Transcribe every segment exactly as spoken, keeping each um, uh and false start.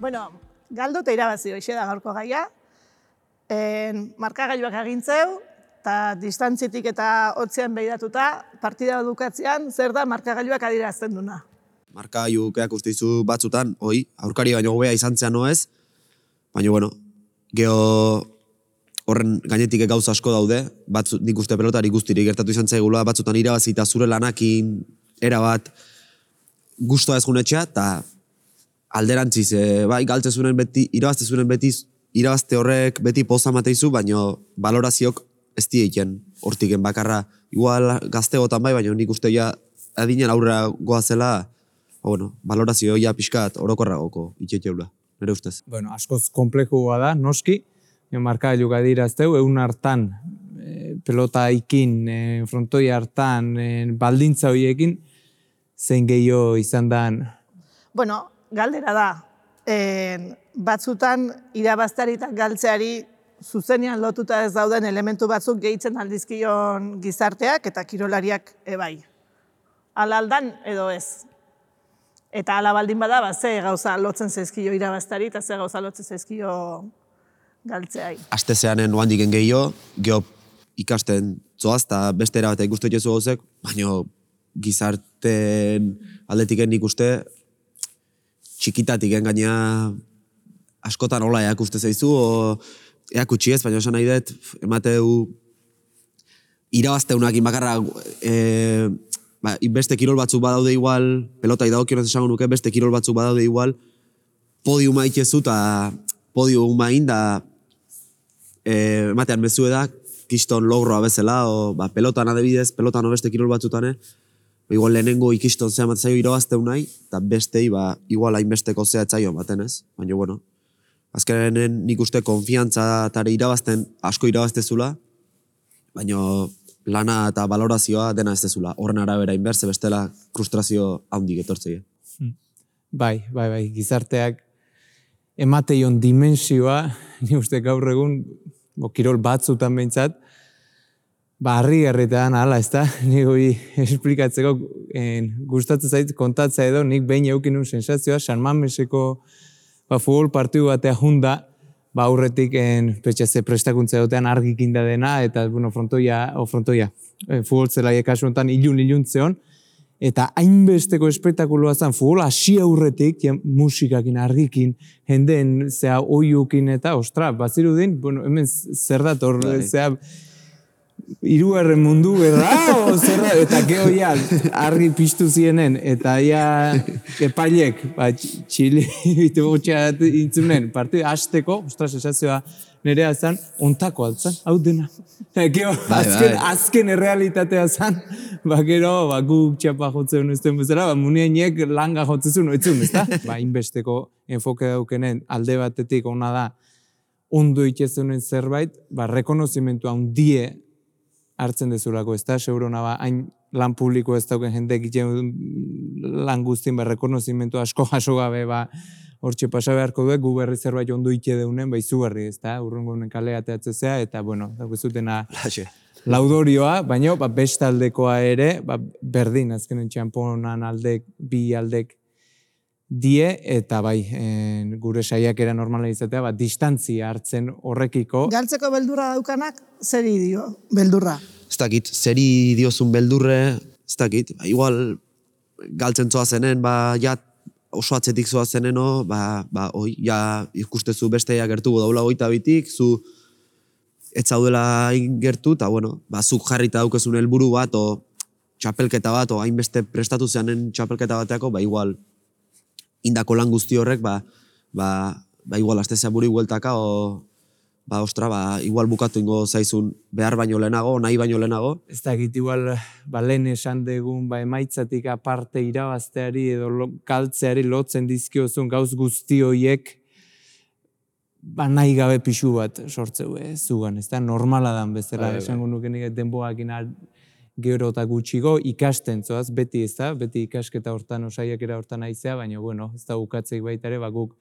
Bueno, galdu eta irabazi hoxe da gaurko gaia. Markagailuak agintzeu, eta distantzitik eta hotzean behiratuta, partida dukatzean, zer da markagailuak adierazten duna. Markagailu keak usteizu batzutan, hoi, aurkari baino hobea izan zean noez, baina, bueno, geho horren gainetik gauza asko daude, batzu, nik uste pelotari guztirik gertatu izan zaigula, batzutan irabazi eta zure lanakin erabat gustoa ez junetxea, eta alderantziz, e, bai, galtzezunen beti, irabaztezunen beti, irabazte horrek beti poza mateizu, baina valoraziok ez dieiken hortiken bakarra. Igual gaztegotan bai, baina nik uste ja adinen aurrera goazela, bueno, valorazio ja pixkat orokorragoko itxetxeula, nire ustez. Bueno, askoz komplekua da, noski, markagailu adirazteu, egun hartan, e, pelota ikin, e, frontoi hartan, e, baldintza horiekin, zein gehiago izan dan? Bueno, galdera da, e, batzutan irabazteari eta galtzeari zuzenean lotuta ez dauden elementu batzuk gehitzen aldizkion gizarteak eta kirolariak ebai. Ala aldan edo ez. Eta ala baldin bada, ba, ze gauza lotzen zaizkio irabazteari eta ze gauza lotzen zaizkio galtzeai. Aste zeanen oandiken gehiago, geho ikasten zoaz, eta beste erabatek guztu etxezu gauzek, baina gizarten aldetiken nik uste txikitatik gaina askotan hola eak uste zaizu, o eak utxi ez, baina esan nahi dut, emateu irabazteunak inbakarra, e, ba, beste kirol batzuk badaude igual, pelota idagokionez esango nuke, beste kirol batzuk badaude igual, podiuma itxezu eta podiuma inda e, ematean mezu edak, kiston logroa bezala, o ba, pelotan adibidez, pelotan o beste kirol batzutane, igual lehenengo ikiston zea matzaio irabazteu nahi, eta bestei, ba, igual hainbesteko zea etzaio ematen ez, baina, bueno, azkenen nik uste konfiantza eta irabazten asko irabaztezula, baina lana eta valorazioa dena ez dezula, horren arabera inberse bestela frustrazio handik etortzei. Bai, bai, bai, gizarteak emateion dimensioa, ni uste gaur egun, bo, kirol batzutan behintzat, ba, harri-garritean ala, ez da, nik hori esplikatzeko en, gustatzen zait kontatzea edo, nik behin eukin un sensazioa, San Mameseko ba, futbol partidu batea junda, ba, aurretik en, petxaze prestakuntza edotean argikinda dena, eta, bueno, frontoia, o frontoia, e, futbol zelaia kasu honetan ilun-ilun zeon, eta hainbesteko espektakuloa zen, futbol hasi aurretik, ja, musikakin, argikin, jendeen, zea, oiukin eta, ostra, bazirudin, bueno, hemen zer dator, zea, hirugarren mundu berra, o, zer da, eta geho ja, argi piztu zienen, eta ja, epailek, ba, txili, bitu gotxea intzunen, partidu hasteko, ostra, sensazioa nerea zen, ontako altzan, hau dena. Geho, azken, azken errealitatea zen, ba, gero, ba, guk txapa jotzen uzten bezala, ba, muniainek langa jotzezun, oitzun, ez da? Ba, inbesteko enfoke daukenen alde batetik ona da, ondo itxezunen zerbait, ba, rekonozimentu handie hartzen dezulako, ez da, segurona ba, hain lan publiko ez dauken jende egiten lan guztien, ba, rekonozimentu asko jaso gabe, ba, hortxe pasa beharko duek, gu berri zerbait ondo ite deunen, ba, izugarri, ez da, urrungo honen kalea teatzezea, eta, bueno, dago zutena laudorioa, baina, ba, bestaldekoa ere, ba, berdin, azkenen txamponan aldek, bi aldek die, eta bai, en, gure saiakera normala izatea, ba, distantzia hartzen horrekiko. Galtzeko beldurra daukanak, zeri dio, beldurra? Ez dakit, zeri diozun beldurre, ez dakit, ba, igual galtzen zoa zenen, ba, ja, oso atzetik zoa zeneno, ba, ba, oi, ja, ikustezu besteia gertu daula goita bitik, zu ez zaudela gertu, eta, bueno, ba, zuk jarrita daukezun helburu bat, o txapelketa bat, o hainbeste prestatu zeanen txapelketa bateako, ba, igual, indako lan guzti horrek, ba, ba, ba igual, astezea buri hueltaka, o, ba, ostra, ba, igual bukatu ingo zaizun behar baino lehenago, nahi baino lehenago. Ez dakit, igual, ba, lehen esan degun, ba, emaitzatik aparte irabazteari edo lo, kaltzeari lotzen dizkiozun gauz guzti horiek, ba, nahi gabe pixu bat sortzeu, eh, zugan, ez da, normala dan bezala, esango nuke nik denboakin gero eta gutxigo ikasten zoaz, beti ez da, beti ikasketa hortan, osaiakera hortan aizea, baina, bueno, ez da ukatzeik baita ere, ba, guk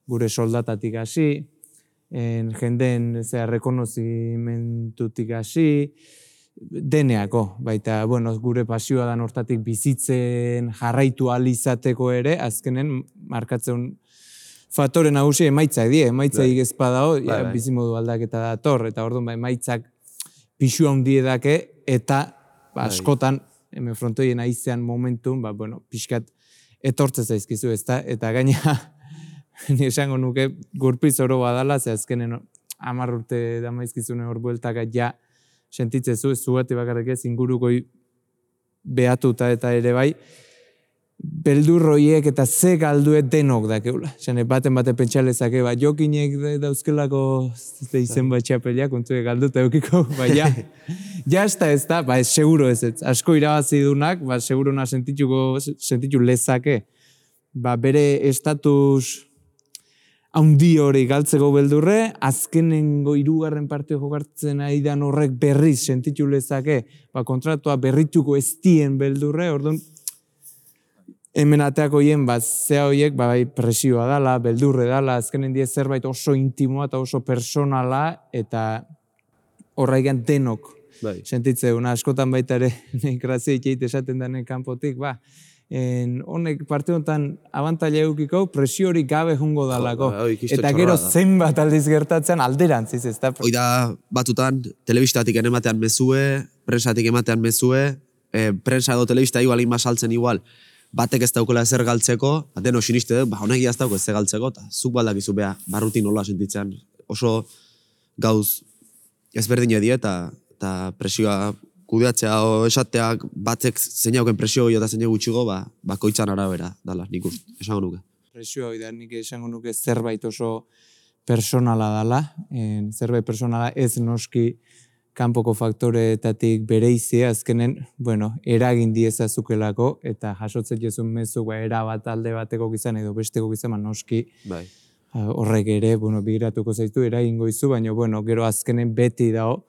gure soldatatik hasi, en, jendeen zera rekonozimentutik hasi, deneako, baita, bueno, gure pasioa dan hortatik bizitzen jarraitu ahal izateko ere, azkenen markatzen faktore nagusi emaitzak die, emaitzaik ez badao, Bai, ja, bai. bizimodu aldaketa dator, eta orduan ba, emaitzak pixu handi dake, eta ba, askotan, hemen frontoien aizean momentun, ba, bueno, pixkat etortze zaizkizu, ezta? Eta gaina, ni esango nuke, gurpiz oro badala, ze azkenen hamar urte damaizkizune hor bueltaka ja sentitzezu, ez zugati bakarrik ez, ingurukoi behatuta eta ere bai, beldurroiek eta ze galduet denok dakeula. Zene, baten bate pentsalezake, ba, jokinek dauzkelako izen bat txapelak, kontue galduta eukiko, ba, ja, ja ez da ez da, ba, ez seguro ez ez, asko irabazi dunak, ba, seguro na sentituko, sentitu lezake, ba, bere estatus haundi hori galtzeko beldurre, azkenengo hirugarren partio jokartzen aidan horrek berriz sentitu lezake, ba, kontratua berrituko ez dien beldurre, orduan, hemen ateako hien, ba, zea horiek, ba, bai, presioa dala, beldurre dala, azkenen die zerbait oso intimoa eta oso personala, eta horraigan denok Bai. sentitzeuna, askotan baita ere, nahi grazia ikeite esaten denen kanpotik, ba, en, honek parte honetan abantaila eukiko, presio hori gabe jungo dalako. Ba, hoi, kisto Eta txorra gero da. zenbat aldiz gertatzen alderantziz, ez da? Hoi da, batutan, telebistatik ematean mezue, prensatik ematean mezue, eh, prensa edo telebista igual inba saltzen igual, batek ez daukela ezer galtzeko, deno siniste dut, ba, honek ez dauko ezer galtzeko, eta zuk baldakizu beha, barrutin nola sentitzen, oso gauz ezberdin edie, eta, eta presioa kudeatzea o esateak batek zein hauken presio eta zein gutxigo, ba, bakoitzan arabera, dala, nik uste, esango nuke. Presioa hori da, nik esango nuke zerbait oso personala dala, en, zerbait personala ez noski kanpoko faktoreetatik bereizia, azkenen, bueno, eragin diezazukelako, eta jasotzen jezun mezu, ba, era bat alde bateko gizan, edo besteko gizan, noski, Bai. horrek ere, bueno, begiratuko zaitu, eragingo izu, baina, bueno, gero azkenen beti dao,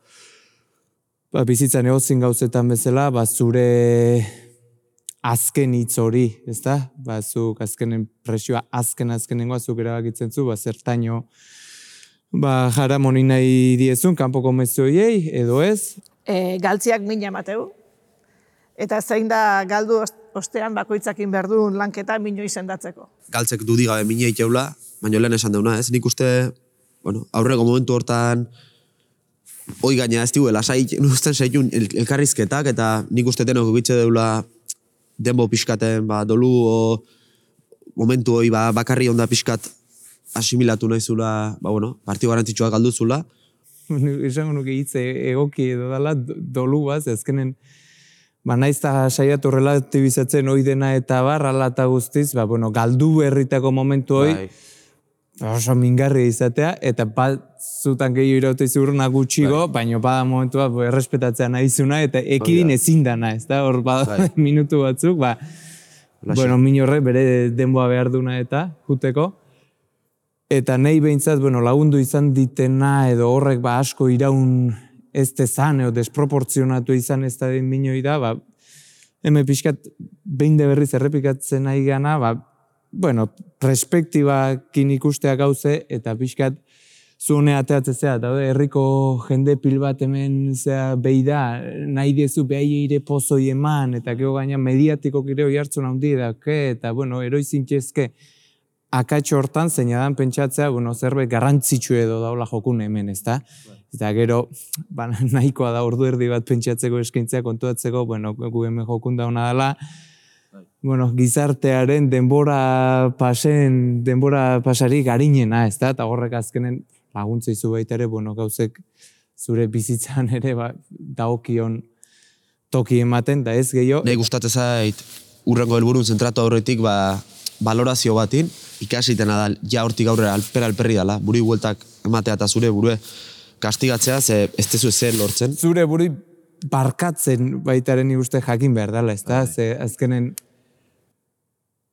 ba, bizitzan egozin gauzetan bezala, ba, zure azken hitz hori, ezta? Ba, zuk azkenen presioa azken azkenengoa zuk erabakitzen zu, ba, zertaino, ba, jaramoni nahi diezun, kanpoko mezuiei, edo ez? E, galtziak mina emateu, eta zein da galdu ostean bakoitzakin berdun lanketa mino izendatzeko. Galtzek dudi gabe mine iteula, baina lehen esan deuna, ez? Nik uste, bueno, aurreko momentu hortan, hoi gaina ez digu, lasai, usten zaitun el, elkarrizketak, eta nik uste denok egitze deula denbo pixkaten, ba, dolu, o momentu hoi, ba, bakarri onda pixkat asimilatu nahizula, ba, bueno, partio garantzitsua galduzula. Esango nuke hitze egoki edo dala dolu baz, azkenen, ba, naiz eta saiatu relatibizatzen hoi dena eta bar, ala eta guztiz, ba, bueno, galdu berritako momentu hoi, Bai. oso mingarri izatea, eta bat zutan gehiago iraute izurna gutxigo, baina bada momentua bo, errespetatzea nahizuna, eta ekidin ezin dana, ez da, hor bada Bai. minutu batzuk, ba, Laxe. bueno, minorre bere denboa behar duna eta, juteko. Eta nahi behintzat, bueno, lagundu izan ditena, edo horrek ba, asko iraun ez tezan, edo desproportzionatu izan ez da den minoi da, ba, hemen pixkat behin de berriz errepikatzen nahi gana, ba, bueno, perspektibakin ikustea gauze, eta pixkat zuhone ateatzea, eta herriko jende pil bat hemen zea behi da, nahi diezu behai eire pozoi eman, eta gero gaina mediatiko kireo jartzen handi da, eta bueno, eroizin txezke, akatxo hortan, zeina dan pentsatzea, bueno, zerbait garrantzitsu edo daula jokun hemen, ezta? Eta gero, ba, nahikoa da ordu erdi bat pentsatzeko eskaintzea kontuatzeko, bueno, gu hemen jokun dauna dela, bueno, gizartearen denbora pasen, denbora pasari garinena, ezta? Eta horrek azkenen laguntza izu baita ere, bueno, gauzek zure bizitzan ere, ba, daokion toki ematen, da ez gehiago. Nahi gustatzen zait, urrengo helburun zentratu aurretik, ba, valorazio batin, ikasitena da, ja hortik aurrera alpera alperri dala, buri bueltak ematea eta zure burue kastigatzea, ze ez tezu ezer lortzen. Zure buri barkatzen baitaren uste jakin behar dela, ez da? Ze azkenen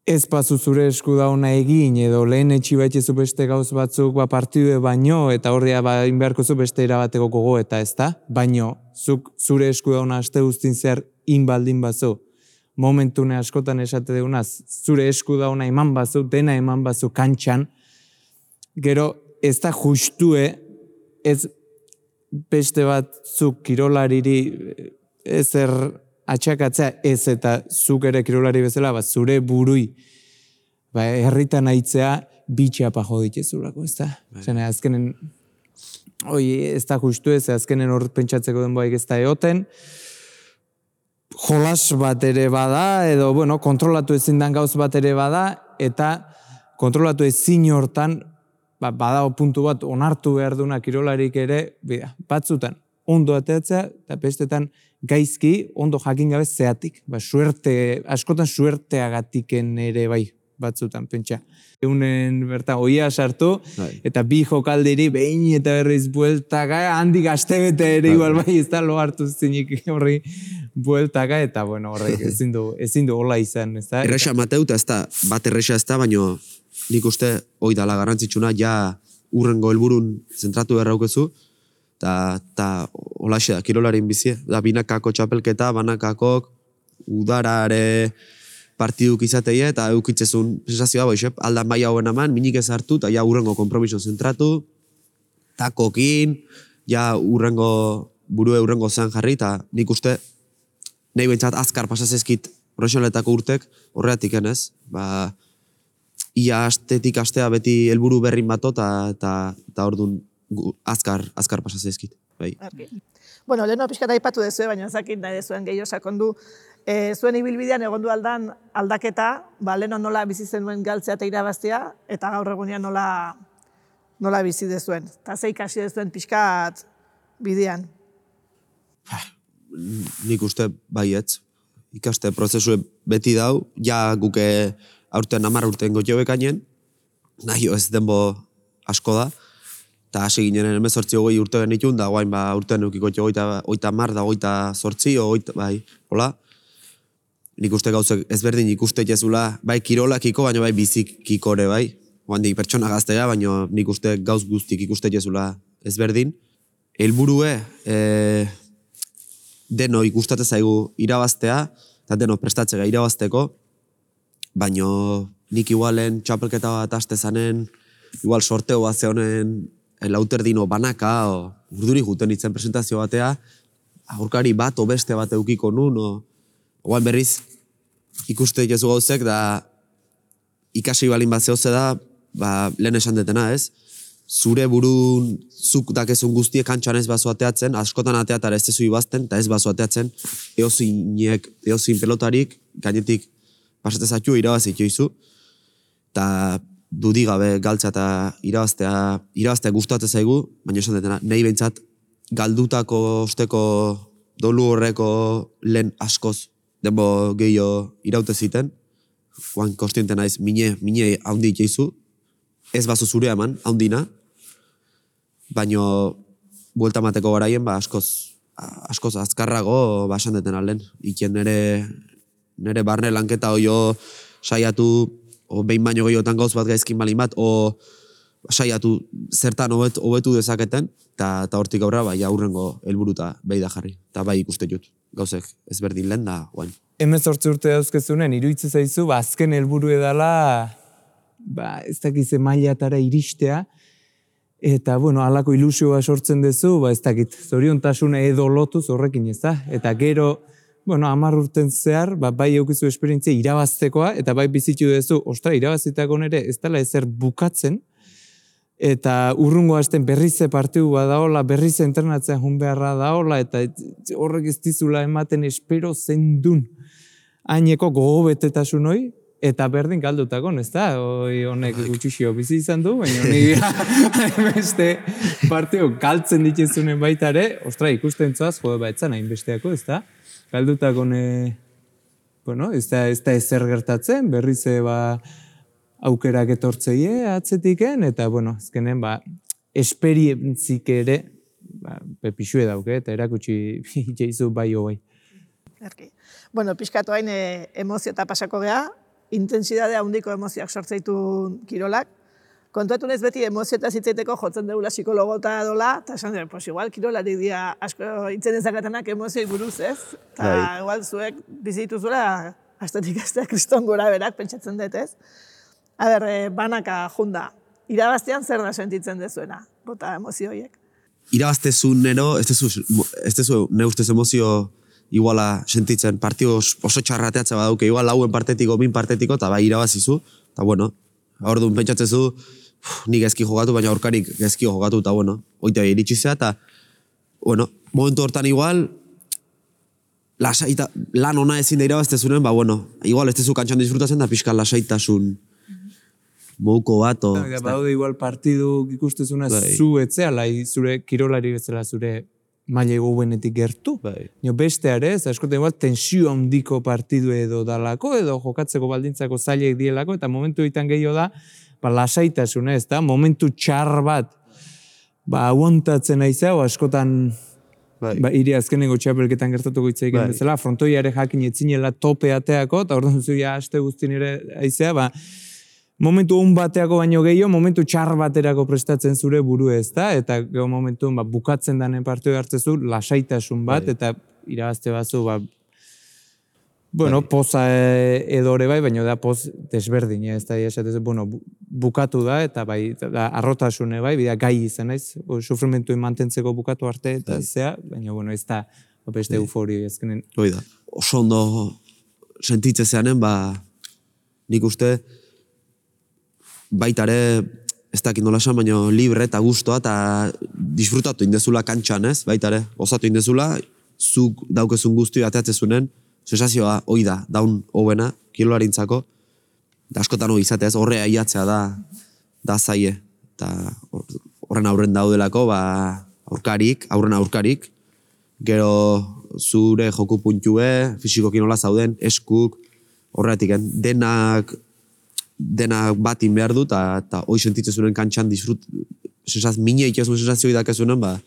ez pazu zure esku dauna egin, edo lehen etxi baitzezu beste gauz batzuk ba, partidue baino, eta horria ba, inbeharko zu beste irabateko gogo, eta ez da? Baino, zuk zure esku dauna aste guztin zer inbaldin bazu, momentune askotan esate deunaz, zure esku dauna eman bazu, dena eman bazu kantxan, gero ez da justue, ez beste bat zuk kirolariri ezer atxakatzea ez eta zuk ere kirolari bezala, ba, zure burui ba, herritan aitzea, bitxapa jo ditezulako, ez da? Zene, azkenen, oi, ez da justu ez, azkenen hor pentsatzeko denboaik ez da eoten, jolas bat ere bada, edo, bueno, kontrolatu ezin dan gauz bat ere bada, eta kontrolatu ezin hortan, ba, badago puntu bat onartu behar duna kirolarik ere, bida, batzutan, ondo ateatzea, eta bestetan gaizki, ondo jakin gabe zeatik. Ba, suerte, askotan suerteagatiken ere bai, batzutan, pentsa. Eunen bertan oia sartu, eta bi jokalderi behin eta berriz bueltaka, handik astebete ere igual bai, ez da lo hartu zinik horri bueltaka, eta bueno, horrek ezin du, ezin du hola izan, ez da? Erresa mateuta ez da, bat erresa ez da, baino nik uste hoi dala garrantzitsuna, ja urrengo helburun zentratu berraukezu, eta holaxe da, kirolarin bizi, da binakako txapelketa, banakakok, udarare partiduk izateie, eta eukitzezun sensazioa boixep, aldan bai hauen aman, minik ez hartu, eta ja urrengo kompromiso zentratu, takokin, ja urrengo, burue urrengo zean jarri, eta nik uste, nahi behintzat azkar pasazezkit profesionaletako urtek, horreatik enez, ba, ia astetik astea beti helburu berrin bato, eta orduan azkar, azkar pasazezkit. Bai. Bueno, leheno pixkat aipatu dezue, baina ezakit nahi dezuen gehiago sakondu. E, zuen ibilbidean egondu aldan aldaketa, ba, leheno nola bizi zenuen galtzea eta irabaztea, eta gaur egunean nola, nola bizi dezuen. Eta ze ikasi dezuen pixkat bidean. Nik uste baietz. Ikaste prozesue beti dau, ja guke aurten hamar urten gotxobekainen, nahi ez denbo asko da, eta hasi ginen hemezortzi hogei urte genitun, da guain ba urtean eukiko oita mar da oita zortzi, oita, bai, hola. Nik uste gauzek ezberdin ikuste jezula, bai kirolakiko, baina bai bizikiko ere, bai. Oandik pertsona gaztega, baina nik uste gauz guztik ikuste jezula ezberdin. Helburue, e, deno ikustate zaigu irabaztea, eta deno prestatzega irabazteko, baina nik igualen txapelketa bat aste zanen, igual sorteo bat zehonen lauterdino banaka, o urduri juten itzen presentazio batea, aurkari bat o beste bat eukiko nun, o oan berriz ikuste jezu gauzek, da ikasi balin bat zehose da, ba, lehen esan detena ez, zure burun zuk dakezun guztiek kantxan ez bazo ateatzen, askotan ateatara ez tezu ibazten, eta ez bazo ateatzen, eozinek, eozin pelotarik, gainetik pasatezatxu irabazik joizu, eta dudi gabe galtza eta irabaztea, irabaztea gustatzen zaigu, baina esan detena, nahi behintzat galdutako osteko dolu horreko lehen askoz denbo gehiago iraute ziten, guan konstiente naiz, mine, mine haundi itxeizu, ez bazo zure eman, haundina, baina buelta mateko garaien, ba, askoz, askoz azkarrago basan deten alen. Ikien nere, nere barne lanketa oio saiatu, o behin baino gehiotan gauz bat gaizkin balin bat, o saiatu zertan hobet, hobetu dezaketen, eta hortik aurra, bai, aurrengo helburuta behi da jarri. Eta bai ikuste jut, gauzek ezberdin lehen da, guain. Hemezortzi urte dauzkezunen, iruditzen zaizu, ba, azken helburu edala, ba, ez dakize mailatara iristea, eta, bueno, halako ilusioa sortzen duzu, ba, ez dakit, zoriontasuna edo lotuz horrekin, ez da? Eta gero, bueno, hamar urten zehar, ba, bai eukizu esperientzia irabaztekoa, eta bai bizitu duzu, ostra, irabazitako nere, ez dela ezer bukatzen, eta urrungo hasten berrize partidu badaola, berrize entrenatzen jun beharra daola, eta horrek ez dizula ematen espero zendun haineko gogobetetasun hoi, eta berdin galdutakon, ez da? Hoi honek gutxixio bizi izan du, baina honi beste partidu galtzen dituzunen baita ere, ostra, ikusten zoaz, jode baitzan hainbesteako, ez da? Galdutakon, bueno, ez da, ez da ezer gertatzen, berrize ba, aukerak etortzeie atzetiken, eta, bueno, azkenen, ba, esperientzik ere, ba, pepixue dauke, eta erakutsi jeizu bai hoi. Erki. Bueno, pixkatu hain e, emozio eta pasako geha, intensidadea handiko emozioak sortzeitu kirolak. Kontuatu nez beti emozio eta zitzeiteko jotzen deula psikologo eta dola, eta esan dira, pues igual kirolarik dia asko itzen ezakatenak emozioi buruz, ez? Eta igual zuek bizitu zuela, astetik astea kriston gora berak pentsatzen dut, ez? A ber, banaka junda, irabaztean zer da sentitzen dezuena, bota emozioiek? Irabaztezun nero, ez dezu ne ustez emozio iguala sentitzen, partio oso txarrateatza badauke, igual lauen partetiko, bin partetiko, eta bai irabazizu, eta bueno, Orduan pentsatzezu, nik gezki jogatu, baina aurkarik gezki jogatu, eta bueno, oite iritsi zea, eta bueno, momentu hortan igual, lasaita, lan ona ezin da irabaztezunen, ba bueno, igual ez tezu kantxan disfrutatzen da pixka lasaitasun moduko bat, o... Ja, baude igual partidu ikustezuna zu etzeala, zure kirolari bezala zure maila gobenetik gertu. Bai. Nio beste ere, ez askotan igual tensio handiko partidu edo dalako, edo jokatzeko baldintzako zailek dielako, eta momentu ditan gehiago da, ba, lasaitasuna ez da, momentu txar bat, ba, aguantatzen aizea, askotan... Bai. Ba, iri azkenengo txapelketan gertatuko hitz egin bezala, frontoiare jakin etzinela tope ateako, eta orduan zuia aste guztien ere aizea, ba, momentu on bateako baino gehiago, momentu txar baterako prestatzen zure buru ez da, eta gero momentu ba, bukatzen danen partidu hartzezu, lasaitasun bat, bai. Eta irabazte bazu, ba, bueno, bai. Poza edore bai, baina da poz desberdin, ez da, esatez, bueno, bukatu da, eta bai, da, arrotasune bai, bida gai izan, ez, sufrimentu mantentzeko bukatu arte, eta bai. Zea, baina, bueno, ez da, beste bai. Euforio ezkenen. Hoi da, oso ondo sentitze zeanen, ba, nik uste, baitare, ez dakit nola esan, baina libre eta gustoa, eta disfrutatu indezula kantxan, ez, baitare, osatu indezula, zuk daukezun guztio ateatzezunen, sensazioa hoi da, daun hobena, kirolarintzako, eta askotan hori izateaz, horrea iatzea da, da zaie, eta horren aurren daudelako, ba, aurkarik, aurren aurkarik, gero zure joku puntue, fisikoki nola zauden, eskuk, horretik, denak, denak batin behar du, eta hoi sentitzezunen kantxan disfrut, sensaz, mine ikezun sensazioi dakezunen, ba,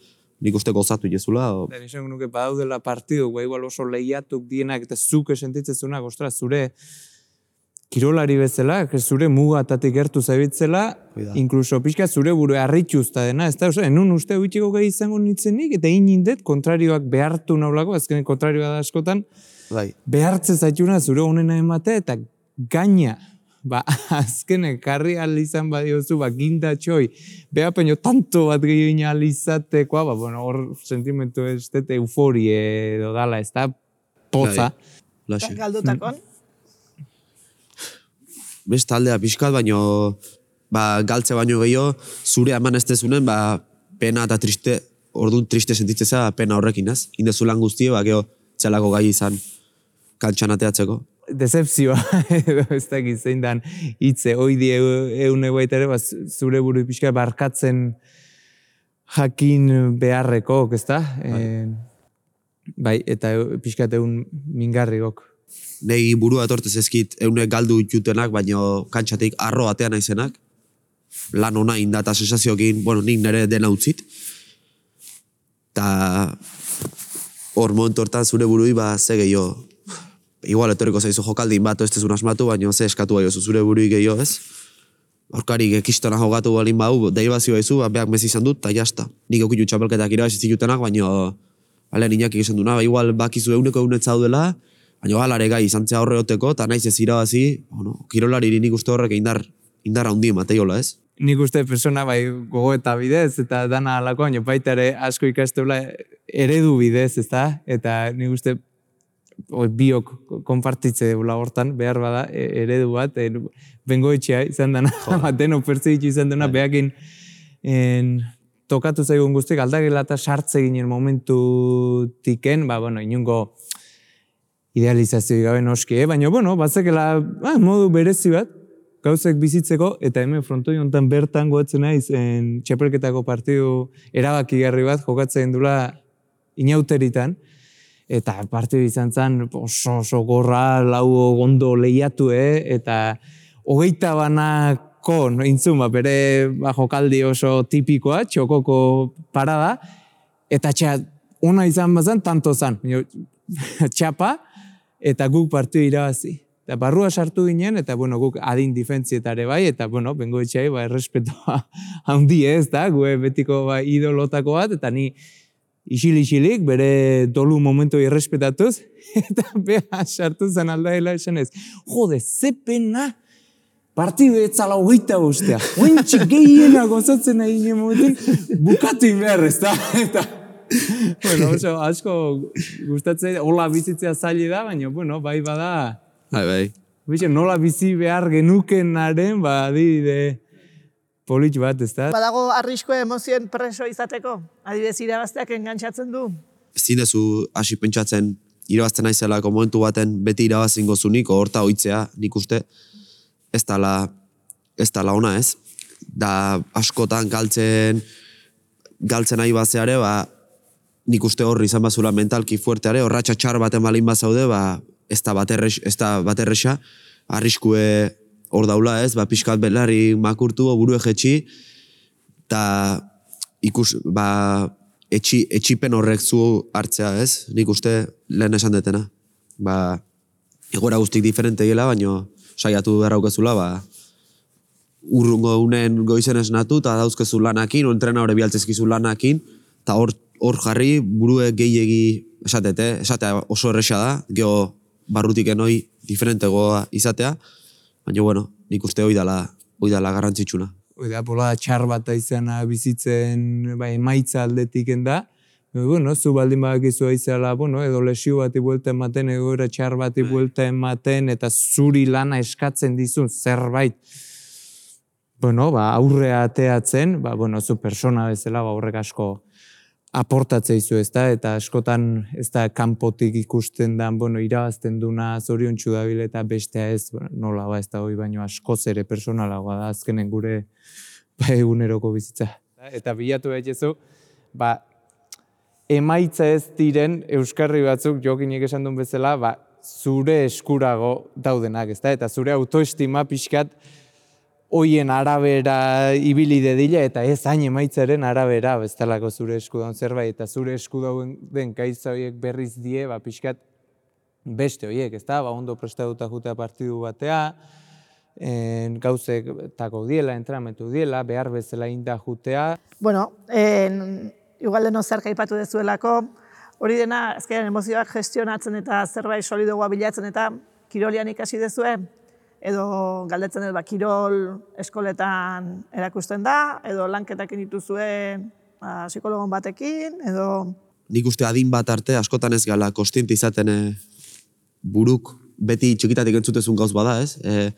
nik uste gozatu jezula. O... Den izan nuke badaudela partidu, ba, igual oso lehiatuk dienak eta zuke sentitzezunak, ostra, zure kirolari bezala, zure mugatatik gertu zaibitzela, inkluso pixka zure buru harritxuzta dena, ez da, oso, enun uste huitxiko gai izango nintzenik, eta inindet, kontrarioak behartu naulako, azkenen kontrarioa da askotan, bai. Behartze zaituna zure honena emate, eta gaina, ba, azkene, karri alizan badiozu, ba, gindatxoi, beha peño tanto bat gehiago alizatekoa, ba, bueno, hor sentimentu ez dut euforie edo dala, ez da, poza. Galdutakon? Beste aldea pixkat, baino, ba, galtze baino gehiago, zure eman ez tezunen, ba, pena eta triste, orduan triste sentitzeza pena horrekin, ez? Indezulan guztie, ba, geho, txalako gai izan kantxan ateatzeko. Decepzioa, edo ez dakit zein dan hitze, oidi eune baita ere, zure buru pixka barkatzen jakin beharreko, ez da? Bai. E, bai, eta pixka egun mingarrigok. Nei burua etortez ezkit eune galdu jutenak, baino kantxatik arro atean aizenak, lan ona inda eta sensazioekin, bueno, nik nire dena utzit. Ta hor momentu hortan zure burui, ba, ze gehiago, igual etorriko zaizu jokaldin bat, ez tezun asmatu, baina ze eskatu bai oso zure burui gehiago ez. Aurkarik ekistona jogatu balin bau, deibazioa izu, ba, beak mezi izan dut, eta jazta. Nik okutu txapelketak irabazi zitutenak, baina alen inakik izan duna, ba, igual bakizu euneko eunet zaudela, baina alare gai izan zea horre oteko, eta naiz ez irabazi, bueno, kirolari nik uste horrek indar, indar handi mateiola ez. Nik uste persona bai gogo eta bidez, eta dana alako, baina baita ere asko ikasteula eredu bidez, ez da? Eta nik uste biok konpartitze dela hortan, behar bada, eredu bat, e, bengoetxea izan dena, baten opertzeitu izan dena, behakin en, tokatu zaigun guztiak, aldagela eta sartze ginen momentu-tiken, ba, bueno, inungo idealizazio gabe noski, eh? Baina, bueno, batzekela ah, modu berezi bat, gauzek bizitzeko, eta hemen frontoi honetan bertan goetzen naiz, en, txapelketako partidu erabakigarri bat jokatzen dula inauteritan, eta partidu izan zen oso, oso gorra, lau gondo lehiatu, eh? Eta hogeita banako, no, intzun, ba, bere ba, jokaldi oso tipikoa, txokoko parada, eta txa, ona izan bazan, tanto zan, txapa, eta guk partidu irabazi. Eta barrua sartu ginen, eta bueno, guk adin difentzietare bai, eta bueno, bengo etxai, ba, errespetoa handi ez da, gue betiko ba, idolotako bat, eta ni isil-isilik, bere dolu momentu irrespetatuz, eta beha sartu zen aldaela esan ez. Jode, ze pena, partidu etzala hogeita guztia. Ointxik gehiena gozatzen nahi ginen momentu, bukatu inber, ez da? Eta, bueno, oso, asko gustatzen, hola bizitzea zaila da, baina, bueno, bai bada, Bai, bai. Bixe, nola bizi behar genukenaren, ba, adibide polit bat, ez da? Badago arriskue emozioen preso izateko? Adibidez, irabazteak engantzatzen du? Ezin dezu hasi pentsatzen irabazten naizelako momentu baten beti irabazingo zunik, horta oitzea, nik uste, ez dala, ez dala ona ez. Da askotan galtzen, galtzen nahi bazeare, ba, nik uste horri izan bazula mentalki fuerteare, horratxa txar baten balin bazaude, ba, ez da baterrex, ez da baterrexa, arriskue hor daula ez, ba, pixkat belari makurtu, burue jetxi, eta ikus, ba, etxi, etxipen horrek zu hartzea ez, nik uste lehen esan detena. Ba, egoera guztik diferente gela, baina saiatu beharraukezula, ba, urrungo unen goizen esnatu, eta dauzkezu lanakin, o entrena hori bialtzezkizu lanakin, eta hor, hor jarri burue gehiegi esatete, esatea oso erresa da, geho barrutik enoi diferentegoa izatea, baina bueno, nik uste hoi dala, hoi dala garrantzitsuna. Hoi da, pola txar bat izana bizitzen ba, emaitza aldetiken da, bueno, zu baldin badakizu aizela, bueno, edo lesio bati buelta ematen, egoera txar bati buelta ematen, eta zuri lana eskatzen dizun zerbait, bueno, ba, aurrea ateatzen, ba, bueno, zu persona bezala, ba, horrek asko aportatzea izu, ez da, eta askotan ez da kanpotik ikusten da, bueno, irabazten duna zoriontsu dabil eta bestea ez, bueno, nola ba, ez da hoi baino askoz ere personalagoa da, azkenen gure ba, eguneroko bizitza. Eta bilatu behitzezu, ba, emaitza ez diren euskarri batzuk jokinek esan duen bezala, ba, zure eskurago daudenak, ez da, eta zure autoestima pixkat hoien arabera ibili dedila, eta ez hain emaitzaren arabera, bestelako zure esku daun zerbait, eta zure esku dauen den gaitza horiek berriz die, ba, pixkat beste horiek, ez da, ba, ondo prestatuta jutea partidu batea, en, gauzek tako diela, entramentu diela, behar bezala inda jutea. Bueno, en, igual deno zer aipatu dezuelako, hori dena, ezkeran emozioak gestionatzen eta zerbait solidogoa bilatzen eta kirolian ikasi dezue, edo galdetzen dut, ba, kirol eskoletan erakusten da, edo lanketakin dituzue ba, psikologon batekin, edo... Nik uste adin bat arte, askotan ez gala kostiente izaten e, buruk, beti txikitatik entzutezun gauz bada, ez? E,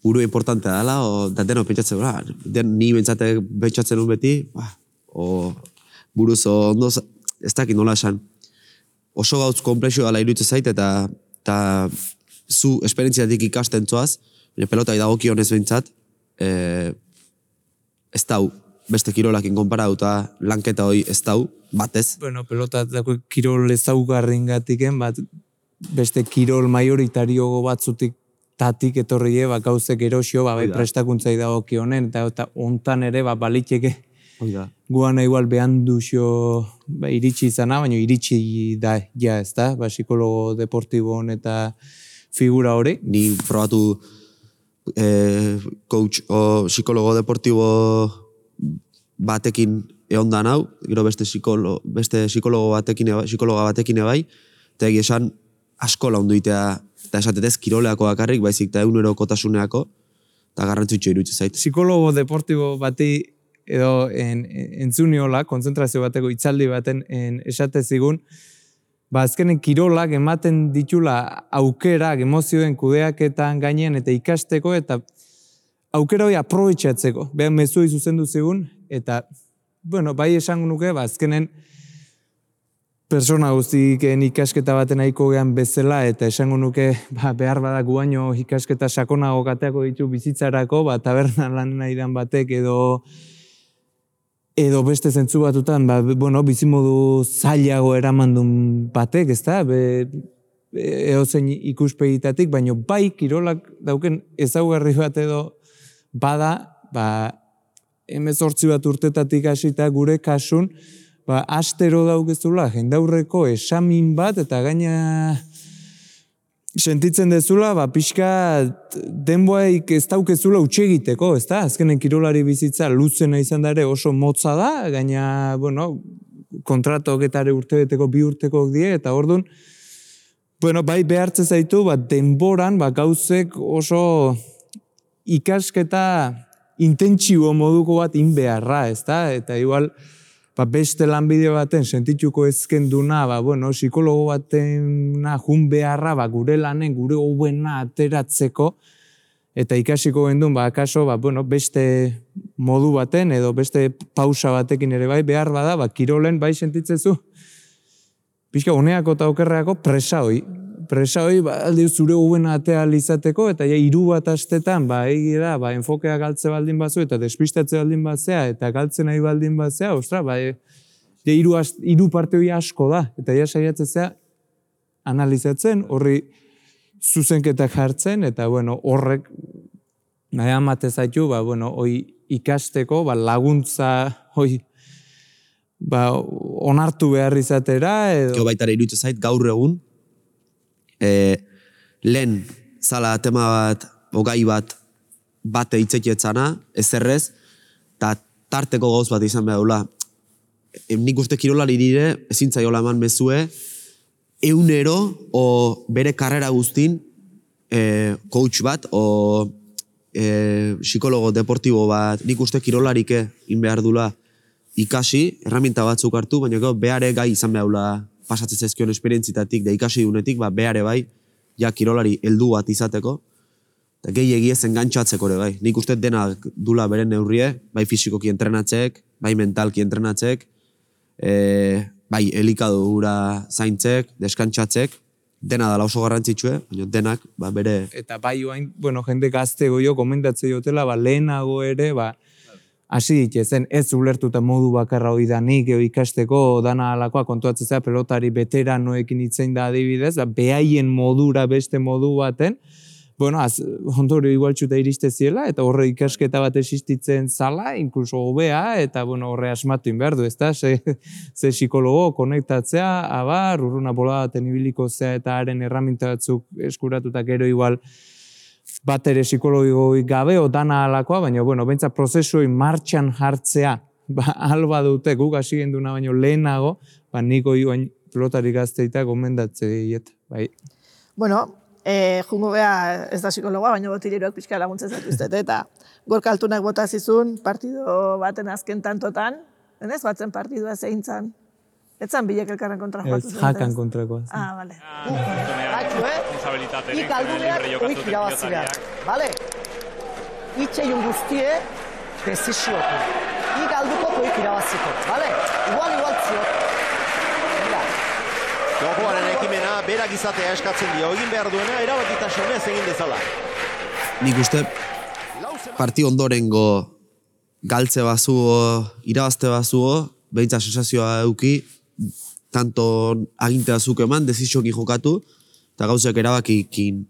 buru importantea dela, o, da deno pentsatzen, ba, den ni bentsate pentsatzen un beti, ba, o buruz ondo, ez dakit nola esan. Oso gauz komplexio dela iruditzen zait, eta, eta zu esperientziatik ikasten zoaz, pelota idagokionez behintzat, e, ez dau, beste kirolakin konparatuta lanketa hoi ez dau, batez. Bueno, pelota dako kirol ezaugarrin gatiken, bat beste kirol majoritario batzutik tatik etorrie, ba, gauzek erosio, ba, bai prestakuntza idagokionen, eta, eta ontan ere, ba, baliteke, guana igual behan duzio ba, iritsi izana, baina iritsi da, ja, ez da, ba, psikologo deportibon eta figura hori. Ni probatu eh, coach o psikologo deportibo batekin eondan hau, gero beste psikolo, beste psikologo batekin psikologa batekin ebai, eta egia esan asko laundu itea, eta esatetez kiroleako bakarrik, baizik eta egunerokotasuneako, eta garrantzitxo iruditzen zait. Psikologo deportibo bati edo en, en, entzuniola, konzentrazio bateko itzaldi baten en, esate zigun, ba, azkenen kirolak ematen ditula aukerak, emozioen kudeaketan gainean eta ikasteko, eta aukera hori aprobetxatzeko. Behan mezu izuzendu zigun, eta, bueno, bai esango nuke, ba, azkenen persona guztiken ikasketa baten nahiko gehan bezala, eta esango nuke, ba, behar badak guaino ikasketa sakonago kateako ditu bizitzarako, ba, taberna lan nahidan batek edo edo beste zentzu batutan, ba, bueno, bizimodu zailago eramandun batek, ez da, eozein ikuspegitatik, baina bai kirolak dauken ezaugarri bat edo bada, ba, hemezortzi bat urtetatik hasita gure kasun, ba, astero daukezula, jendaurreko esamin bat, eta gaina sentitzen dezula, ba, pixka denboaik ez daukezula utxegiteko, ez da? Azkenen kirolari bizitza luzena izan dare oso motza da, gaina, bueno, kontratok eta urtebeteko bi urtekok die, eta orduan, bueno, bai behartze zaitu, ba, denboran, ba, gauzek oso ikasketa intentsibo moduko bat inbeharra, ez da? Eta igual, ba, beste lanbide baten sentituko ezkenduna, ba, bueno, psikologo batena jun beharra, ba, gure lanen, gure hobena ateratzeko, eta ikasiko gendun, ba, akaso, ba, bueno, beste modu baten, edo beste pausa batekin ere bai, behar bada, ba, kirolen bai sentitzezu, pixka, honeako eta okerreako presa hoi, presa hoi, ba, aldi zure hobena atea izateko, eta ja, hiru bat astetan, ba, egi da, ba, enfokea galtze baldin batzu, eta despistatze baldin batzea, eta galtzen nahi baldin batzea, ostra, ba, e, ja, hiru, hiru parte hori asko da, eta ja, saiatzea analizatzen, horri zuzenketak jartzen, eta, bueno, horrek, nahi amate zaitu, ba, bueno, hoi ikasteko, ba, laguntza, hoi, ba, onartu behar izatera, edo... Gio baitara iruditzen zait, gaur egun, e, lehen zala tema bat, ogai bat, bate itzetietzana, ezerrez, eta tarteko gauz bat izan behar dula. E, nik uste kirolari dire, ezin zaiola eman mezue, eunero, o bere karrera guztin, e, coach bat, o e, psikologo deportibo bat, nik uste kirolarike in behar dula, ikasi, herramienta batzuk hartu, baina gau, behare gai izan behaula pasatzen zaizkion esperientzitatik, da ikasi dunetik, ba, behare bai, ja kirolari heldu bat izateko, eta gehi egiez engantxatzeko ere bai. Nik uste dena dula beren neurrie, bai fisikoki entrenatzek, bai mentalki entrenatzek, e, bai elikadura zaintzek, deskantxatzek, dena dala oso garrantzitsue, baina denak, ba, bere... Eta bai oain, bueno, jende gazte goio, komentatze jotela, ba, lehenago ere, ba, hasi ditezen, ez ulertuta modu bakarra hori danik, eo ikasteko dana alakoa kontuatzea pelotari veteranoekin itzein da adibidez, behaien modura beste modu baten, bueno, az, ondorio igualtxuta iriste ziela, eta horre ikasketa bat existitzen zala, inkluso hobea, eta bueno, horre asmatu behar du, ezta? Ze, ze psikologo konektatzea, abar, urruna bola baten ibiliko zea, eta haren erraminta batzuk eskuratutak gero igual, bat ere psikologoi gabe, o dana alakoa, baina, bueno, bentsa prozesui martxan jartzea, ba, alba dute, guk hasi genduna baino lehenago, ba, niko joan pelotari gazteita gomendatze diet, bai. Bueno, eh, jungo beha ez da psikologoa, baina botileroak pixka laguntzen zatuztet, eta Gorka Altunak bota zizun partido baten azken tantotan, denez, batzen partidua zein zan? Etzan bilek elkarren kontra joatu zen? Ez, jakan kontrakoa. Ah, bale. Baitxu, eh? Ik alduneak oik irabazileak, bale? Itxeiun guztie, desiziotu. Ik aldukot oik irabaziko, bale? Igual, igual ziot. Mira. Jokoaren ekimena, berak izatea eskatzen dio, egin behar duena, erabakitasunez egin dezala. Nik uste, parti ondorengo galtze bazuo, irabazte bazuo, behintza sensazioa euki, tanto agintea zuk eman, dezizioki jokatu, eta gauzak erabakikin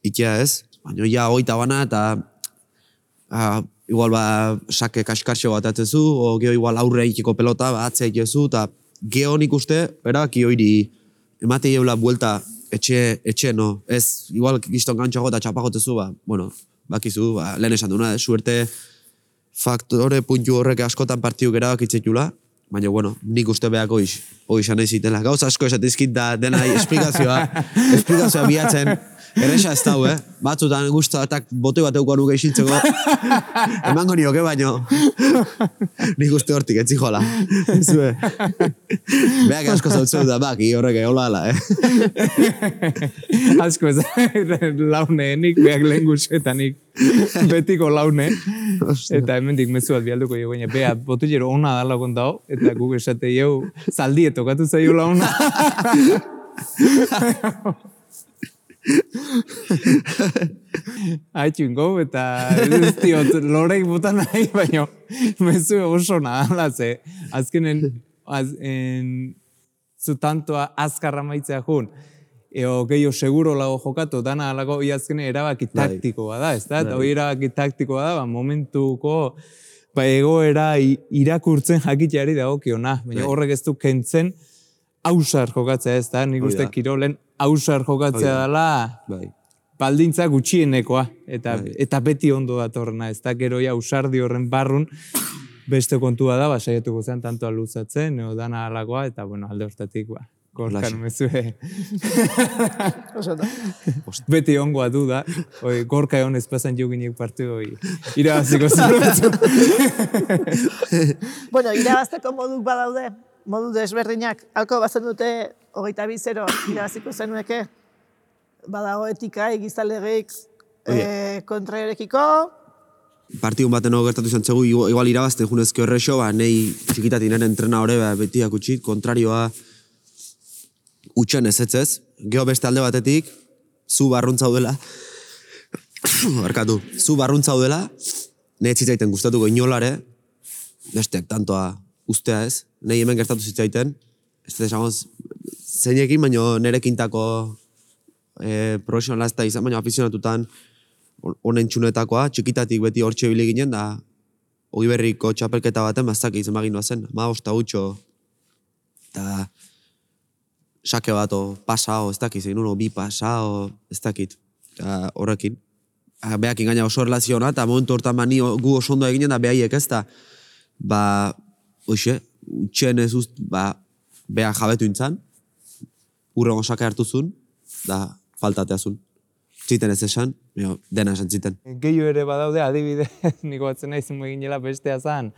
ikia ez. Baina ja hoita bana, eta a, igual ba, sake kaskarxo bat atzezu, o geho igual aurre ikiko pelota, ba, atzea ikezu, eta geho nik uste, erabaki hori emate jeula buelta etxe, etxe, no. Ez, igual gizton gantxago eta txapagotezu, ba, bueno, bakizu, ba, lehen esan duna, eh? Suerte faktore puntu horrek askotan partiu erabakitzekula, baina, bueno, nik uste behako hoiz, hoiz anai zitela. Gauz asko esatizkit da dena esplikazioa, esplikazioa bihatzen, erresa ez dau, eh? Batzutan guztatak botoi bat euko nuke isiltzeko, emango nioke, baino, nik uste hortik, etzi jola. Zue. Beak asko zautzeu da, baki horrek hola ala, eh? Asko ez, laune, nik beak lehen guzetanik. Betiko laune, eta hemendik mezu bat bialduko jo, baina bea, botillero ona dala kontao, eta guk esate jau, zaldie tokatu zaio launa. Haitxun gau, eta ez diot, lorek botan nahi, baina mezu oso nadala, ze, azkenen, az, en, zu tantoa azkarra maitzea jun, eo gehiago seguro lago jokatu, dana alago iazkene erabaki taktikoa da, ez da? Eta hori erabaki taktikoa da, ba, momentuko ba, egoera irakurtzen jakiteari dagokiona. Baina horrek ez du kentzen ausar jokatzea, ez da? Nik uste kirolen ausar jokatzea dela baldintza gutxienekoa. Eta, eta beti ondo datorrena, ez da? Gero ja ausardi horren barrun beste kontua da, ba, saiatuko zen tantoa luzatzen, eo dana alagoa, eta bueno, alde hortatik, ba, Gorkan mezue. Beti ongoa du da. Oi, Gorka egon ezpazan joginek partidu hori. Irabaziko zen batzu. Bueno, irabazteko moduk badaude, modu desberdinak. Halko bazen dute hogeita bi zero irabaziko zenueke. Badago etika, egizalegik, e, kontraerekiko. Partidun baten hau gertatu izan txegu, igual irabazten junezko errexo, ba, nahi txikitatik nire entrena hori ba, betiak utxit, kontrarioa utxen ezetzez. Gero beste alde batetik, zu barruntzaudela, barkatu, zu barruntzaudela, nahi txitzaiten gustatuko inolare, besteak tantoa ustea ez, nahi hemen gertatu zitzaiten, ez da esagoz, zeinekin, baino nirekintako e, profesionalazta izan, baina afizionatutan, honen txunetakoa, txikitatik beti hortxe bile ginen, da hori berriko txapelketa baten, bazak izan bagin zen, ma osta gutxo, eta sake bat, o pasa, o ez dakit, zein uno, bi pasa, o ez dakit, eta horrekin. Beak ingaina oso erlaziona, eta momentu hortan mani gu oso ondo eginen, da behaiek ez da, ba, hoxe, utxen ez uzt, ba, beak jabetu intzan, urrengo sake hartuzun, da faltateazun. Ziten ez esan, dena esan ziten. Gehiu ere badaude, adibide, niko batzen nahi zen eginela bestea zan,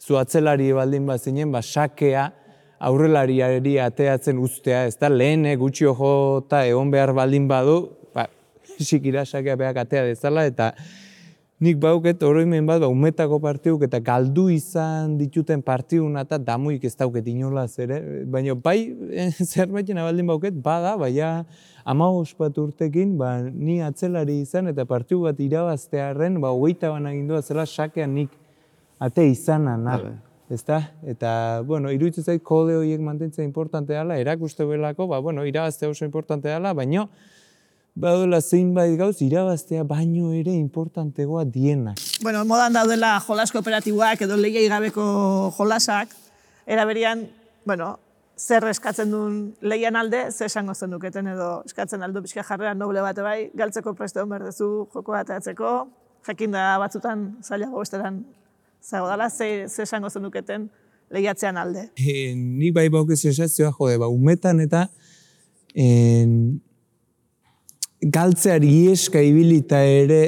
zu atzelari baldin bat zinen, ba, sakea aurrelariari ateatzen ustea, ez da, lehen gutxi jota egon behar baldin badu, ba, sikira sakea behak atea dezala, eta nik bauket oroimen bat, ba, umetako partiuk eta galdu izan dituten partiuna eta damuik ez dauket inolaz ere, baina bai, zerbaiten abaldin bauket, bada, baina amabos bat urtekin, ba, ni atzelari izan eta partiu bat irabaztearen, ba, hogeita bana gindua zela sakean nik ate izana, na. Ezta? Eta, bueno, iruditzen zait kode horiek mantentzea importante dela, erakuste belako, ba, bueno, irabaztea oso importante dela, baina badola zeinbait gauz, irabaztea baino ere importantegoa dienak. Bueno, modan daudela jolas kooperatiboak edo lehiai gabeko jolasak, eraberian, bueno, zer eskatzen duen lehian alde, zer esango zen duketen edo eskatzen aldo pixka jarrera noble bate bai, galtzeko preste hon berdezu joko bateatzeko, jakinda batzutan zailago besteran zago dala, zer esango zen duketen lehiatzean alde. E, ni bai bauke sensazioa, jode, ba, umetan eta en, galtzeari ieska ibilita ere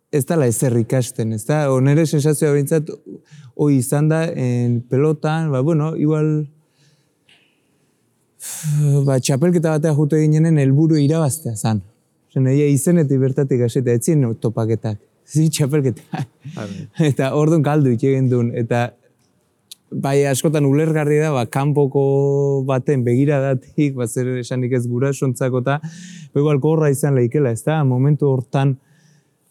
ez dala ezer ikasten, ez da? Onere sensazioa behintzat, hoi izan da, en pelotan, ba, bueno, igual, ba, txapelketa batea jute ginenen helburu irabaztea zan. Zen, egia izenetik bertatik hasita, ez ziren topaketak, zi txapelketak. Eta orduan galdu itxegen duen, eta bai, askotan ulergarri da, ba, kanpoko baten begiradatik, ba, zer esanik ez gurasontzako eta igual gorra izan lehikela, ez da? Momentu hortan,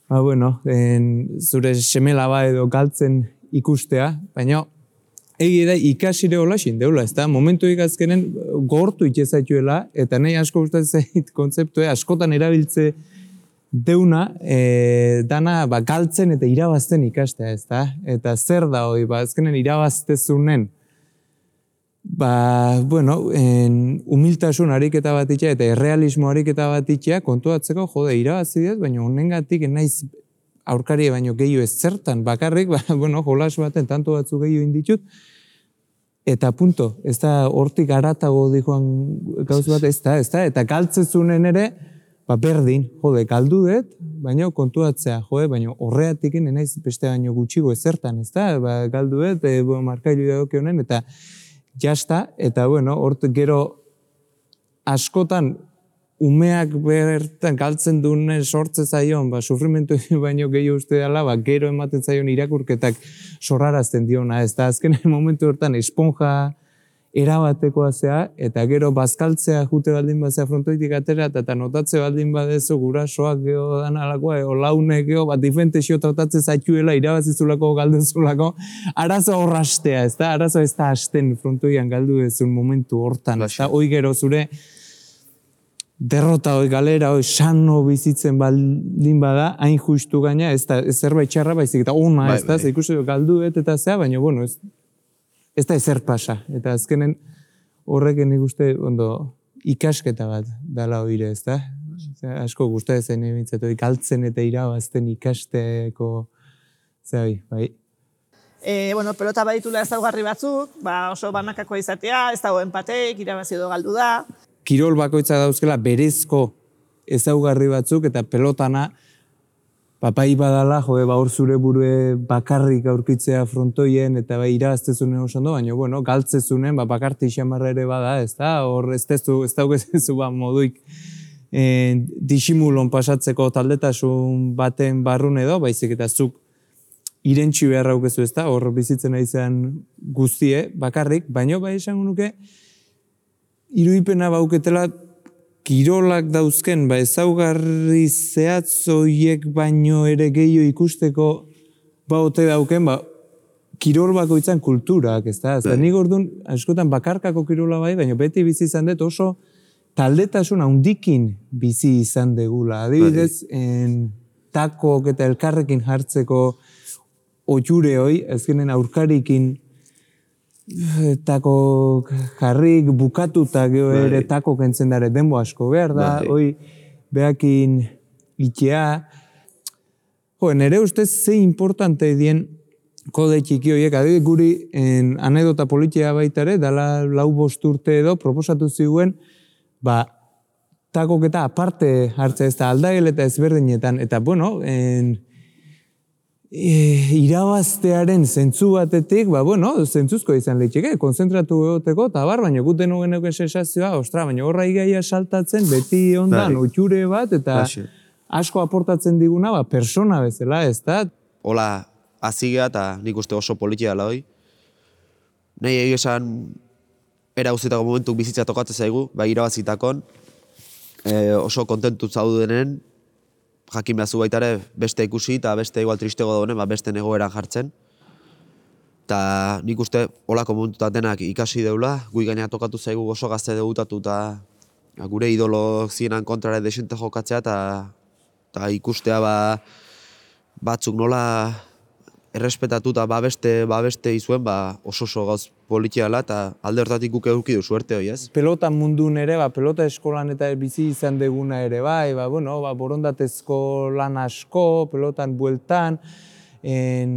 ba, bueno, en, zure semela ba edo galtzen ikustea, baina egi da ikasire holaxin deula, ez da? Momentu ikazkenen gortu itxezaituela, eta nahi asko gustatzen zait kontzeptue, askotan erabiltze deuna, e, dana ba, galtzen eta irabazten ikastea, ez da? Eta zer da hori, ba, azkenen irabaztezunen, ba, bueno, en, humiltasun ariketa bat itxea eta errealismo ariketa bat itxea kontuatzeko, jode, irabazi diaz, baina honengatik naiz aurkari baino gehiago ez zertan, bakarrik, ba, bueno, jolas baten tanto batzu gehiago inditut, eta punto, ez da hortik aratago dikoan gauz bat, ez da, ez da, eta galtzezunen ere, ba, berdin, jode, galdu dut, baina kontuatzea, jode, baina horreatik naiz beste baino gutxigo ezertan, ez da, ba, galdu dut, e, bueno, markailu dagoke honen, eta jasta, eta, bueno, hort gero askotan umeak bertan galtzen duen sortze zaion, ba, sufrimentu baino gehiago uste dela, ba, gero ematen zaion irakurketak sorrarazten diona, ez da, azken momentu hortan esponja erabatekoa zea, eta gero bazkaltzea jute baldin bazea frontoitik atera, eta notatze baldin badezu gurasoak geho dan alakoa, o launek geho, bat difentexio tratatzen zaituela, irabazizulako, galdezulako, arazo horrastea, ez da, arazo ez da hasten frontoian galdu dezun momentu hortan, ez da, hoi gero zure derrota hoi galera, hoi sano bizitzen baldin bada, hain justu gaina, ez da, zerbait txarra baizik, eta ona, ez da, ikusi galdu dut eta zea, baina, bueno, ez, ez da ezer pasa, eta azkenen horreken ikuste ondo ikasketa bat dala oire, ez da? Asko gustatzen zen ebintzatu, galtzen eta irabazten ikasteko, zai, bai. E, bueno, pelota baditula ezaugarri batzuk, ba oso banakakoa izatea, ez dago enpateik, irabazi edo galdu da. Kirol bakoitza dauzkela berezko ezaugarri batzuk eta pelotana papai badala, jo, ba hor zure burue bakarrik aurkitzea frontoien eta ba irabaztezunen oso ondo, baina bueno, galtzezunen ba bakarti xamarra ere bada, ez da? Hor ez tezu, ez daukezu ba moduik eh, disimulon pasatzeko taldetasun baten barrun edo, baizik eta zuk irentxi beharra aukezu, ez da? Hor bizitzen aizean guztie, bakarrik, baina bai esango nuke irudipena bauketela kirolak dauzken, ba ezaugarri zehatz horiek baino ere gehiago ikusteko ba ote dauken, ba kirol bakoitzan kulturak, ez da? Eta nik orduan, askotan bakarkako kirola bai, baina beti bizi izan dut oso taldetasun handikin bizi izan degula. Adibidez, en, takok eta elkarrekin jartzeko oiure hoi, ezkenen aurkarikin tako jarrik bukatuta geho ere tako kentzen dara denbo asko behar da, hoi behakin itea. Jo, nere ustez ze importante dien kode txiki horiek, adibidez guri en anedota politia baitare, dala lau bost urte edo proposatu ziguen, ba, takok eta aparte hartza ez da aldagel eta ezberdinetan, eta bueno, en, E, irabaztearen zentzu batetik, ba, bueno, zentzuzko izan leitxeke, konzentratu egoteko, eta bar, baina guten nugeneko sensazioa, ostra, baina horra igaia saltatzen, beti ondan, oiture bat, eta asko aportatzen diguna, ba, persona bezala, ez da? Hola, azigea, eta nik uste oso politia dela hoi. Nahi egin esan, era guztietako momentuk bizitza tokatzen zaigu, ba, irabazitakon, e, oso kontentu zaudenen, jakin behazu baita ere beste ikusi eta beste igual tristego dagoen, ba beste egoeran jartzen. Eta nik uste holako momentutan denak ikasi deula, gui gaina tokatu zaigu oso gazte debutatu eta gure idolo zienan kontrare desente jokatzea eta ikustea ba, batzuk nola errespetatu eta babeste, babeste izuen ba, oso oso gauz politiala eta alde hortatik guk eduki du suerte hoi, ez? Pelota mundun ere, ba, pelota eskolan eta bizi izan deguna ere bai, ba, bueno, ba, borondatezko lan asko, pelotan bueltan, en,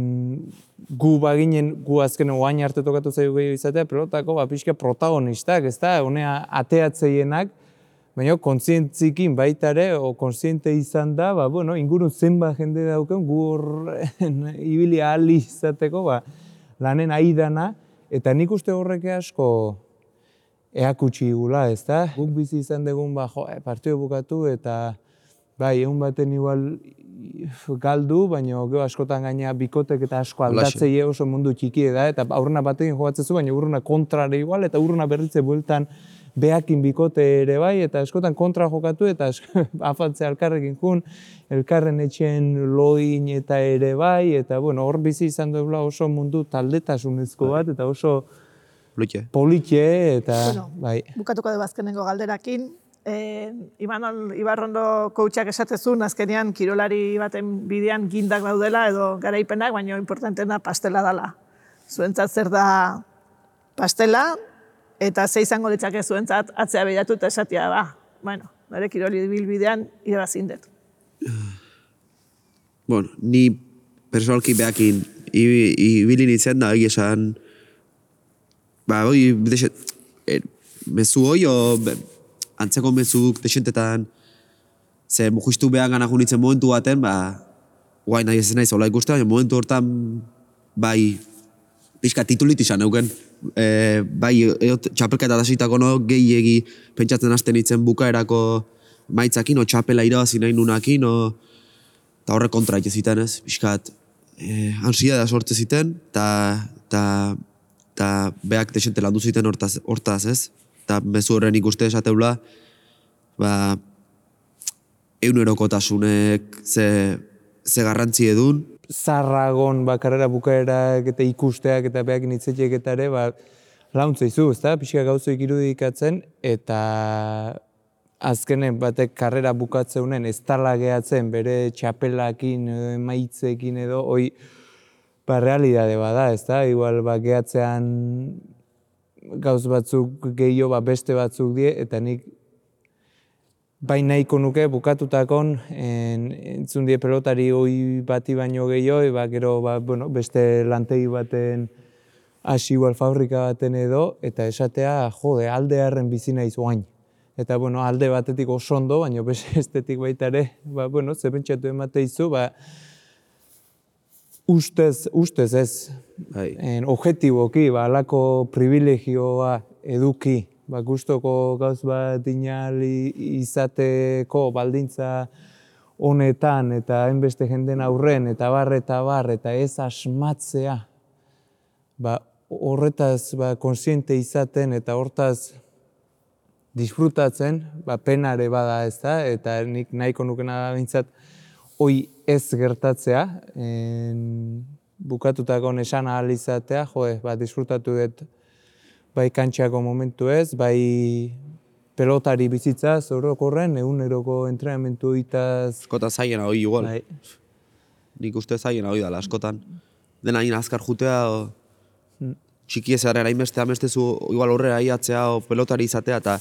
gu baginen, gu azken oain arte tokatu zaigu gehiago izatea, pelotako ba, pixka protagonistak, ez da, honea ateatzeienak, baina kontzientzikin baita ere, o kontziente izan da, ba, bueno, ingurun zenba jende dauken, gu hor ibili ahal izateko, ba, lanen aidana, eta nik uste horrek asko eakutsi igula, ez da? Guk bizi izan dugun, ba, jo, partio bukatu, eta bai, egun baten igual galdu, baina gero askotan gaina bikotek eta asko aldatzei oso mundu txiki da, eta aurrena batekin jogatzezu, baina urruna kontrare igual, eta urruna berritze bueltan behakin bikote ere bai, eta askotan kontra jokatu, eta afaltzea elkarrekin jun, elkarren etxen loin eta ere bai, eta bueno, hor bizi izan duela oso mundu taldetasunezko bat, eta oso politxe, eta bueno, bai. Bukatuko dugu azkenengo galderakin. Eh, Imanol Ibarrondo coachak esatezun, azkenean kirolari baten bidean gindak daudela edo garaipenak, baina importantena pastela dela. Zuentzat zer da pastela, eta ze izango litzake zuentzat atzea behiratu eta esatia ba. Bueno, nire kiroli bilbidean irabazin dut. Bueno, ni personalki behakin ibili nintzen da, egia esan, ba, hoi, mezu hoi, o, antzeko mezuk desentetan, ze justu behan gana nintzen momentu baten, ba, guai nahi ez naiz hola ikusten, baina momentu hortan, bai, pixka titulit izan euken, e, bai, txapelketa dasitako no, gehiegi pentsatzen hasten nintzen bukaerako maitzakin, o txapela irabazi nahi nunakin, o, eta horre kontra ite ziten ez, pixkat, e, ansiedad sortze ziten, eta beak desente landu ziten hortaz, hortaz ez, eta mezu horren ikuste esateula, ba, eunerokotasunek ze, ze garrantzi edun. Zarragon, ba, karrera bukaerak eta ikusteak eta beak nitzetiek eta ere, ba, launtzeizu, ez da, pixka gauzoik irudikatzen, eta azkenen batek karrera bukatzeunen ez tala gehatzen bere txapelakin, maitzekin edo, hoi, ba, realidade bada, ez da, igual, ba, gehatzean gauz batzuk gehiago, ba, beste batzuk die, eta nik bai nahiko nuke bukatutakon en, entzun die pelotari hoi bati baino gehiago, ba, gero ba, bueno, beste lantegi baten hasi igual fabrika baten edo, eta esatea, jode, aldearren bizi naiz oain. Eta, bueno, alde batetik oso ondo, baina bestetik baita ere, ba, bueno, ze pentsatu emate izu, ba, ustez, ustez ez, en, objetiboki, ba, alako privilegioa eduki, ba, gustoko gauz bat inali izateko baldintza honetan, eta hainbeste jenden aurren, eta bar, eta bar, eta ez asmatzea, ba, horretaz ba, konsiente izaten, eta hortaz disfrutatzen, ba, penare bada ez da, eta nik nahiko nukena da bintzat, hoi ez gertatzea, en, bukatutako esan ahal izatea, joe, ba, disfrutatu dut bai kantxako momentu ez, bai pelotari bizitza, orokorren, eguneroko entrenamentu itaz... Askota zaiena hoi igual. Bai. Nik uste zaiena hoi dala, askotan. Dena hain azkar jutea, o... hmm. txiki ezaren hainbeste amestezu igual horrela iatzea o pelotari izatea, eta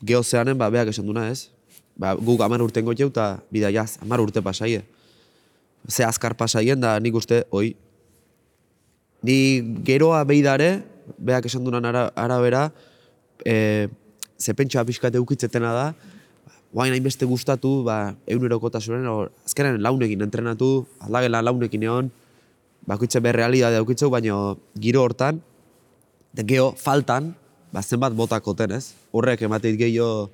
geozeanen, ba, beak esan duna ez. Ba, guk amar urten gotxeu, eta bidaiaz, amar urte pasaie. Ze azkar pasaien, da nik uste, oi. Ni geroa behidare, beak esan dunan ara, arabera, e, ze pentsa pixkat eukitzetena da, guain hainbeste gustatu, ba, egunerokotasunen, azkenen launekin entrenatu, aldagela launekin egon, bakoitze berrealidade aukitzeu, baina giro hortan, de geho faltan, ba, zenbat botakoten, ez? Horrek emateit gehiago,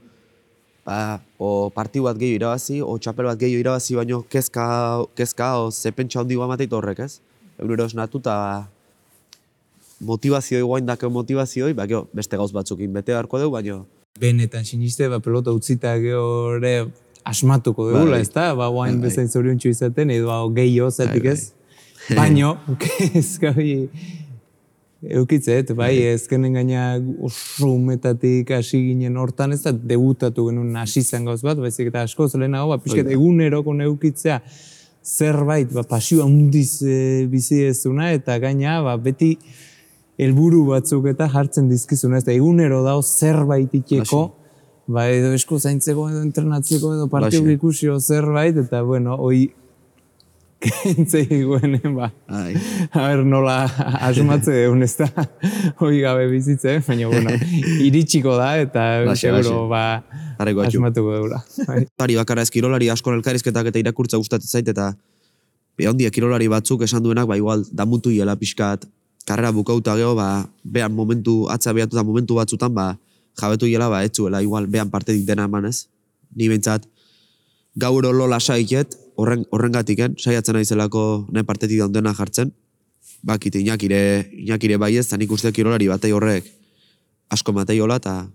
ba, o partiu bat gehiago irabazi, o txapel bat gehiago irabazi, baina kezka, kezka o ze pentsa hondigo emateit horrek, ez? Egunero esnatu, eta motivazioi, guain dako motivazioi, ba, geho, beste gauz batzukin bete beharko dugu, baina... Benetan siniste, ba, pelota utzita geho ere asmatuko dugula, ez da? Ba, guain bezain zoriontxu izaten, edo gehiago zatik ez? Baino, kezka hori eukitzet, bai, ezkenen gaina oso umetatik hasi ginen hortan, ez da debutatu genuen hasi zen gauz bat, baizik eta askoz lehenago, ba, pixket eguneroko neukitzea zerbait, ba, pasioa hundiz e, bizi ezuna, eta gaina, ba, beti helburu batzuk eta jartzen dizkizuna, ez da egunero dao zerbait iteko, ba, edo esko zaintzeko, edo entrenatzeko, edo partiu ikusio zerbait, eta, bueno, hoi kentzei guenen, ba. A ber, nola asumatze egun ez da, hoi gabe bizitze, baina, bueno, iritsiko da, eta seguro, ba, asumatuko deura. Ari bakarra ez kirolari asko elkarrizketak eta irakurtza gustatzen zait, eta behondia kirolari batzuk esan duenak, ba, igual, damutu hiela pixkat, karrera bukauta geho, ba, behan momentu, atza behatuta momentu batzutan, ba, jabetu hiela, ba, etzuela, igual, behan partetik dena eman ez. Ni behintzat, gaur lola saiket, horren, horrengatiken, saiatzen naizelako nahi partetik daundena jartzen, bakit inakire, inakire baiez, eta nik uste kirolari batei horrek asko matei hola, eta